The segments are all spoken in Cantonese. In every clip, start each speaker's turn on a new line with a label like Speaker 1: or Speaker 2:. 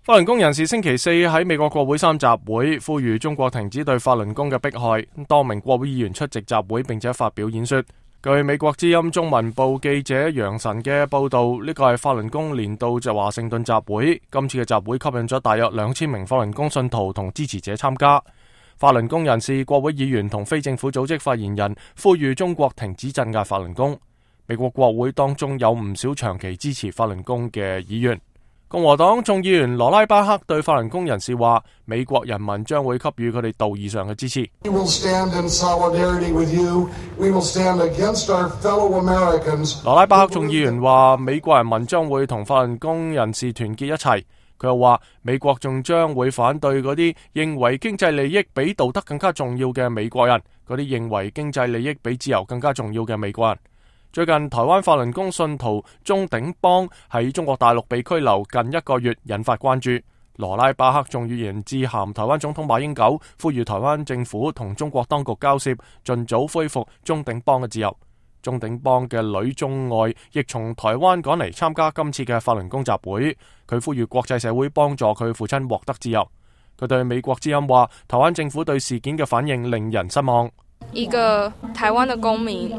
Speaker 1: 法輪功人士星期四喺美國國會山集會，呼籲中國停止對法輪功嘅迫害。多名國會議員出席集會，並且發表演說。據美國之音中文部記者楊晨嘅報道，呢個係法輪功年度就華盛頓集會。今次嘅集會吸引咗大約2000名法輪功信徒同支持者參加。法輪功人士、國會議員同非政府組織發言人呼籲中國停止鎮壓法輪功。美國國會當中有唔少長期支持法輪功嘅議員。共和黨眾議員羅拉巴克對法輪功人士話，美國人民將會給予佢哋道義上嘅支持。羅拉巴克眾議員話，美國人民將會同法輪功人士團結一齊。佢又話，美國仲將會反對嗰啲認為經濟利益比道德更加重要嘅美國人，嗰啲認為經濟利益比自由更加重要嘅美國人。最近台灣法輪功信徒鍾鼎邦喺中國大陸被拘留近1個月，引發關注。羅拉巴克眾議員致函台灣總統馬英九，呼籲台灣政府同中國當局交涉，盡早恢復鍾鼎邦嘅自由。鍾鼎邦嘅女鍾愛亦從台灣趕嚟參加今次嘅法輪功集會，佢呼籲國際社會幫助佢父親獲得自由。佢對美國之音話，台灣政府對事件嘅反應令人失望。
Speaker 2: 一個台灣的公民，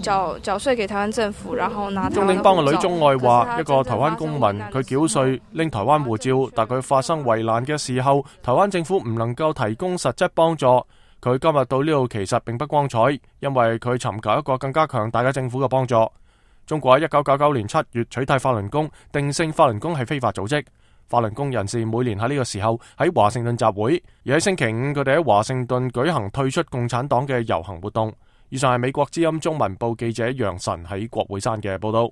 Speaker 2: 繳稅給台灣政府，然後拿台灣的護照。鍾鼎邦嘅女鍾愛話，一個台灣公民，佢繳稅拎台灣護照，但佢發生危難嘅時候，台灣政府唔能夠提供實質幫助。佢今日到呢度其實並不光彩，因為佢尋求一個更加強大嘅政府嘅幫助。中國喺1999年7月取締法輪功，定性法輪功係非法組織。法輪功人士每年喺呢個時候喺華盛頓集會，而喺星期五佢哋喺華盛頓舉行退出共產黨嘅遊行活動。以上係美國之音中文部記者楊晨喺國會山嘅報道。